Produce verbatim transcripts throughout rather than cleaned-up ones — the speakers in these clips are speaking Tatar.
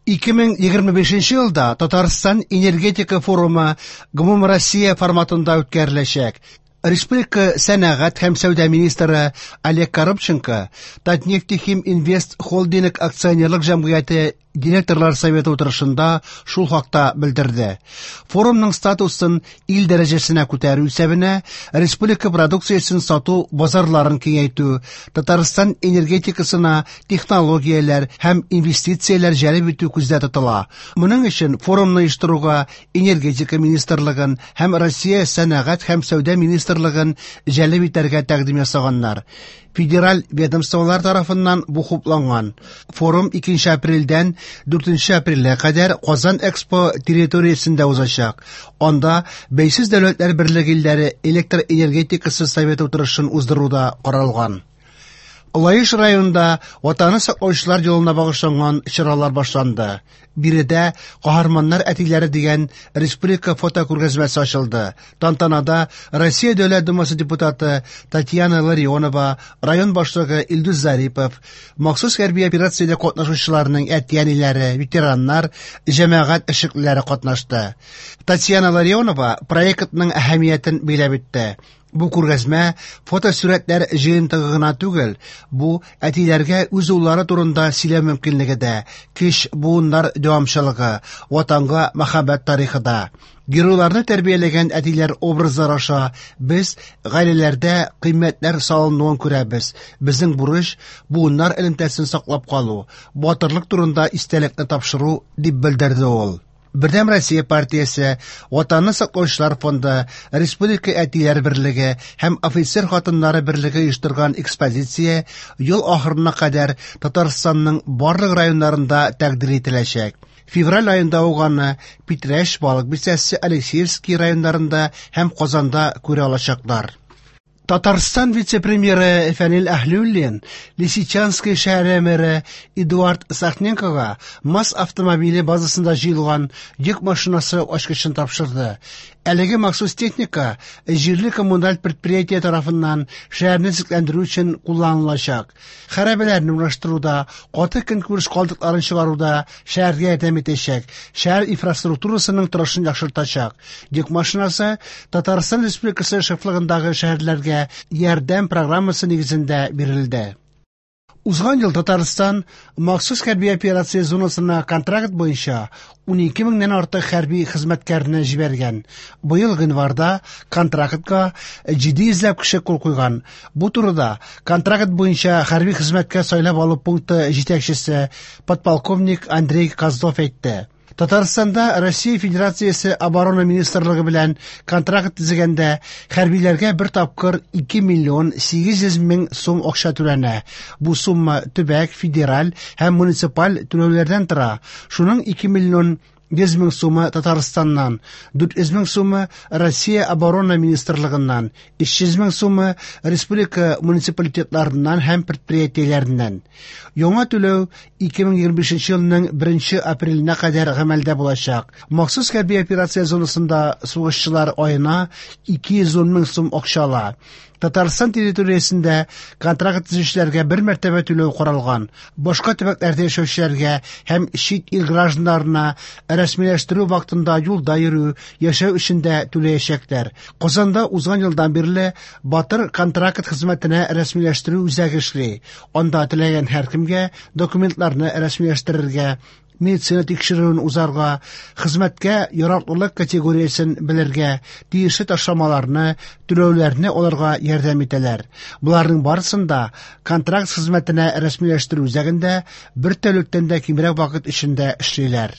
ике мең егерме бишенче елда Татарстан энергетика форумы гомумроссия форматында үткәреләчәк. Республика сәнәгать һәм сәүдә министры Олег Коробченко Татнефтехим Инвест Холдинг акционерлык җәмгыяте директорлар советы утырышында шул хакта белдерде. Форумның статусын ил дәрәҗәсенә күтәрү исәбенә республика продукциясен сату базарларын киңәйтү, Татарстан энергетикасына технологияләр һәм инвестицияләр җәлеп итү күздә тотыла. Моның өчен форумны оештыруга Энергетика министрлыгын һәм Россия сәнәгать һәм сәүдә министрлыгын җәлеп итәргә тәкъдим ясаганнар. Федераль ведомстволар тарафыннан бу хупланган. Форум икенче апрельдән дүртенче апрельгә кадәр Казан Экспо территориясендә узачак. Анда Бәйсез Дәүләтләр Берлеге илләре электр энергетикасы советы утырышын уздыру да каралган. Лаеш районында Ватанны саклаучылар елына багышланган чаралар башланды. Биредә «Каһарманнар әтиләре» дигән республика фотокүргәзмәсе ачылды. Тантанада Россия Дәүләт Думасы депутаты Татьяна Ларионова, район башлыгы Илдус Зарипов, махсус хәрби операциядә катнашучыларның әти-әниләре, ветераннар, җәмәгать эшлеклеләре катнашты. Татьяна Ларионова проектның әһәмиятен биләп үтте. Бу күргәзмә фотосурәтләр җыентыгы гына түгел, бу әтиләргә үз уллары турында сөйләү мөмкинлеге дә, кеч буыннар дәвамчылыгы, ватанга мәхәббәт тарихы да. Геройларны тәрбияләгән әтиләр образлары аша без гаиләләрдә кыйммәтләр салынуын күрәбез. Безнең бурыч буыннар элемтәсен саклап калу, батырлык турында истәлекне тапшыру, дип белдерде ул. Бердәм Россия партиясе, Ватанны саклаучылар фонды, Республика әтиләр берлеге һәм офицер хатыннары берлеге оештырган экспозиция ел ахырына кадәр Татарстанның барлык районнарында тәкъдир ителәчәк. Февраль аенда ук аны Питрәч, Балык Бистәсе, Алексеевский районнарында һәм Казанда күрә алачаклар. Татарстан вице-премьеры Фәнил Әһлиуллин Лисичанский шәһәре мэры Эдуард Сахненкога МАЗ автомобиле базасында җыелган йөк машинасы ачкычын тапшырды. Әлеге махсус техника җирле коммуналь предприятие тарафыннан шәһәрне төзекләндерү өчен кулланылачак. Хәрабәләрне урнаштыруда, каты көнкүреш калдыкларын чыгаруда шәһәргә ярдәм итәчәк, шәһәр инфраструктурасының торышын яхшыртачак. Йөк машинасы Татарстан Республикасы шефлыгындагы шәһәрләргә ярдәм программасы нигезендә бирелде. Узган ел Татарстан махсус хәрби операция зонасына контракт буенча унике меңнән артык хәрби хезмәткәрне җибәргән. Быел гыйнварда контрактка җиде йөзләп кеше кул куйган. Бу турыда контракт буенча хәрби хезмәткә сайлап алу пункты җитәкчесе подполковник Андрей Козлов әйтте. Татарстанда Россия Федерациясе Оборона Министрлыгы белән контракт төзегәндә хәрбиләргә бер тапкыр ике миллион сигез йөз мең сум акча түләнә. Бу сумма төбәк, федераль һәм муниципаль түләүләрдән тора. Шуның ике миллион йөз мең сумы Татарстаннан, дүрт йөз мең сумы Россия Оборона Министрлыгыннан, өч йөз мең сумы республика муниципалитетларыннан һәм предприятиеләреннән. Яңа түләү ике мең егерме бишенче елның беренче апреленә кадәр гамәлдә булачак. Махсус хәрби операция зонасында сугышчылар аена ике йөз ун мең сум акча ала. Татарстан территориясендә контракт төзүчеләргә бер мәртәбә түләү каралган. Башка төбәкләрдә яшәүчеләргә һәм чит ил гражданнарына рәсмиләштерү вакытында юлда йөрү, яшәү өчен дә түләячәкләр. Казанда узган елдан бирле Батыр контракт хезмәтенә рәсмиләштерү үзәге эшли. Анда теләгән һәркемгә документларны рәсмиләштерергә, медицина тикшерүен узарга, хезмәткә яраклылык категориясен белергә, тиешле ташламаларны, түләүләрне алырга ярдәм итәләр. Боларның барысын да контракт хезмәтенә рәсмиләштерү үзәгендә бер тәүлектән дә кимрәк вакыт эчендә эшлиләр.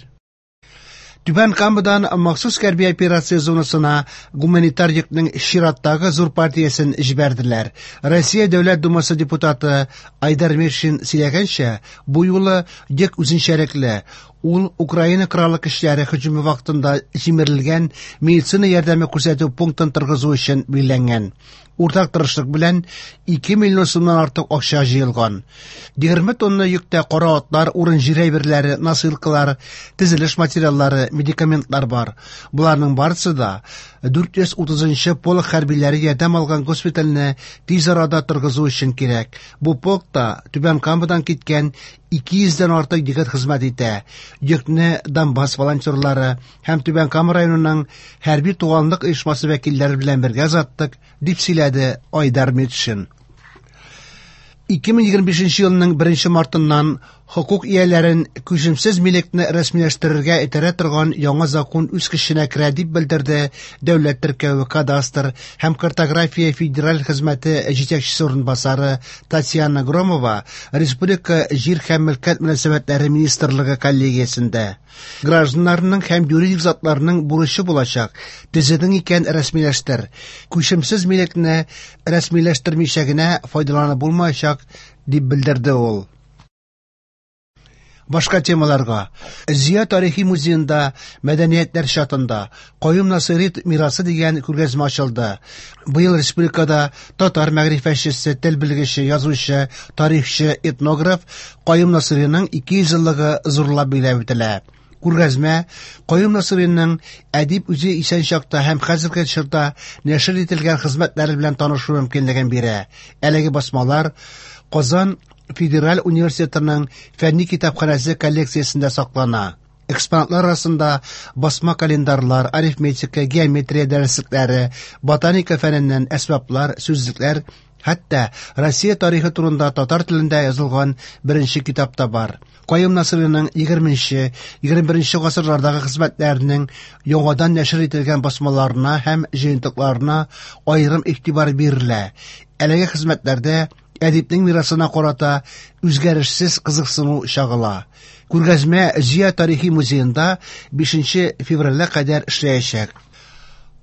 Түбән Камадан махсус хәрби операция зонасына гуманитар йөкнең чираттагы зур партиясен җибәрделәр. Россия Дәүләт Думасы депутаты Айдар Миршин сөйләгәнчә, бу юлы йөк үзенчәлекле. Ул Украина Кораллы көчләре һөҗүме вакытында җимерелгән медицина ярдәме күрсәтү пунктын торгызу өчен билгеләнгән. Уртак тырышлык белән ике миллион сумнан артык акча җыелган. Егерме тонна йөктә кара атлар, урын-җир әйберләре, носилкалар, төзелеш материаллары, медикаментлар бар. Боларның барысы да дүрт йөз утызынчы полк хәрбиләре ярдәм алган госпитальне тиз арада торгызу өчен кирәк. Бу полкта Түбән Камадан киткән ике йөздән артык егет хезмәт итә. Йөкне Донбасс волонтерлары һәм Түбән Кама районының хәрби туганлык оешмасы вәкилләре белән бергә озаттык, дип сөйләде Айдар Метшин. ике мең егерме бишенче елның беренче мартыннан хокук ияләрен күчемсез милекне рәсмиләштерергә этәрә торган яңа закон үз көченә керә, дип белдерде Дәүләт теркәве, кадастр һәм картография федераль хезмәте җитәкчесе урынбасары Татьяна Громова Республика җир һәм мөлкәт мөнәсәбәтләре министрлыгы коллегиясендә. Гражданнарның һәм юридик затларның бурычы булачак: төзедең икән рәсмиләштер. Күчемсез милекне рәсмиләштермичә генә файдаланып булмаячак, дип белдерде ул. Башка темаларга. Зөя тарихи музеенда мәдәниятләр чатында Каюм Насыйри мирасы дигән күргәзмә ачылды. Быел республикада татар мәгърифәтчесе, тел белгече, язучы, тарихчы, этнограф Каюм Насыйриның ике йөз еллыгы зурлап билгеләп үтелә. Күргәзмә Каюм Насыйриның әдип үзе исән чакта һәм хәзерге чорда нәшер ителгән хезмәтләре белән танышу мөмкинлеген бирә. Әлеге басмалар Казан Федераль университетының фәнни китапханәсе коллекциясендә саклана. Экспонатлар арасында басма календарьлар, арифметика, геометрия дәреслекләре, ботаника фәненнән әсбаплар, сүзлекләр, хәтта Россия тарихы турында татар телендә язылган беренче китап та бар. Каюм Насыйриның егерменче, егерме беренче гасырлардагы хезмәтләренең яңадан нәшер ителгән басмаларына һәм җыентыкларына аерым игътибар бирелә. Әлеге хезмәтләрдә әдипнең мирасына карата үзгәрешсез кызыксыну чагыла. Күргәзмә Зөя тарихи музеенда бишенче февральгә кадәр эшләячәк.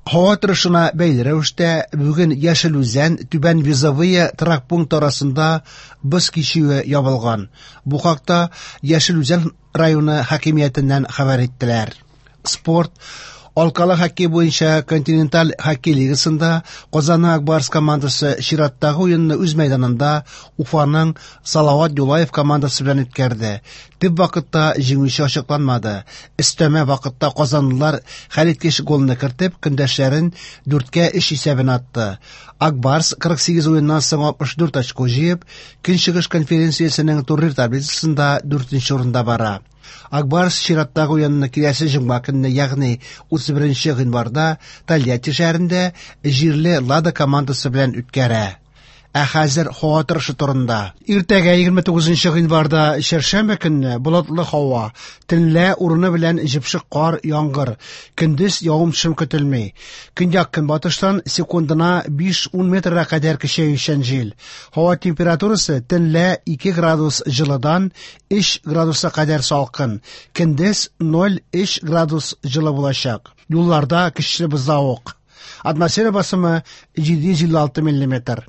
Һава торышына бәйле рәвештә бүген Яшел Үзән, Түбән Вязовые торак пункт арасында боз кичүе ябылган. Бу хакта Яшел Үзән районы хакимиятеннән хәбәр иттеләр. Спорт. Алкалы хоккей буенча континенталь хоккей лигасында Казанның Ак Барс командасы чираттагы уенны үз мәйданында Уфаның Салават Юлаев командасы белән үткәрде. Төп вакытта җиңүче ачыкланмады. Өстәмә вакытта казанлылар хәлиткеч голны кертеп, көндәшләрен дүрткә өч исәбен атты. Ак Барс кырык сигез уеннан соң алтмыш дүрт очко җыеп, Көнчыгыш конференциясенең турнир таблицасында дүртенче урында бара. Ак Барс чираттагы уенны киләсе җомга көнне, ягъни утыз беренче гыйнварда Тольятти шәһәрендә җирле Лада командасы белән үткәрә. Ә хәзер һава торышы турында. Иртәгә егерме тугызынчы гыйнварда чәршәмбе көнне болытлы һава, төнлә урыны белән җепшек кар, яңгыр, көндез явым-төшем көтелми. Көньяк көнбатыштан секундына биш-ун метрга кадәр көчәючән җил. Һава температурасы төнлә ике градус җылыдан өч градуска кадәр салкын, көндез ноль өч градус җылы булачак. Юлларда көчле бозлавык. Атмосфера басымы җиде йөз илле алты миллиметр.